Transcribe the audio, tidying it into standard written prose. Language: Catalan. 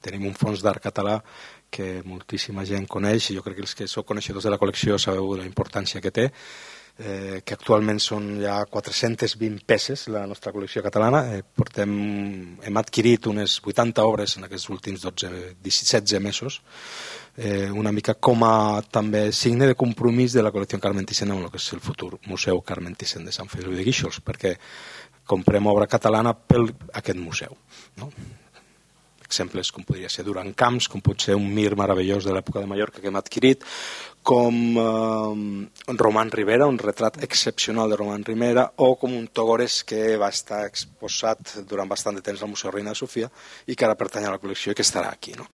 tenim un fons d'art català que moltíssima gent coneix, i jo crec que els que sou coneixedors de la col·lecció sabeu la importància que té, que actualment són ja 420 peces la nostra col·lecció catalana. Hem adquirit unes 80 obres en aquests últims 16 mesos, una mica com a també signe de compromís de la col·lecció Carmen Thyssen amb el que és el futur Museu Carmen Thyssen de Sant Feliu de Guíxols, perquè comprem obra catalana per aquest museu, no? Exemples com podria ser Duran Camps, com pot ser un Mir meravellós de l'època de Mallorca que hem adquirit, com Román Rivera, un retrat excepcional de Román Rivera, o com un Togores que va estar exposat durant bastant de temps al Museu Reina Sofia i que ara pertany a la col·lecció i que estarà aquí, no?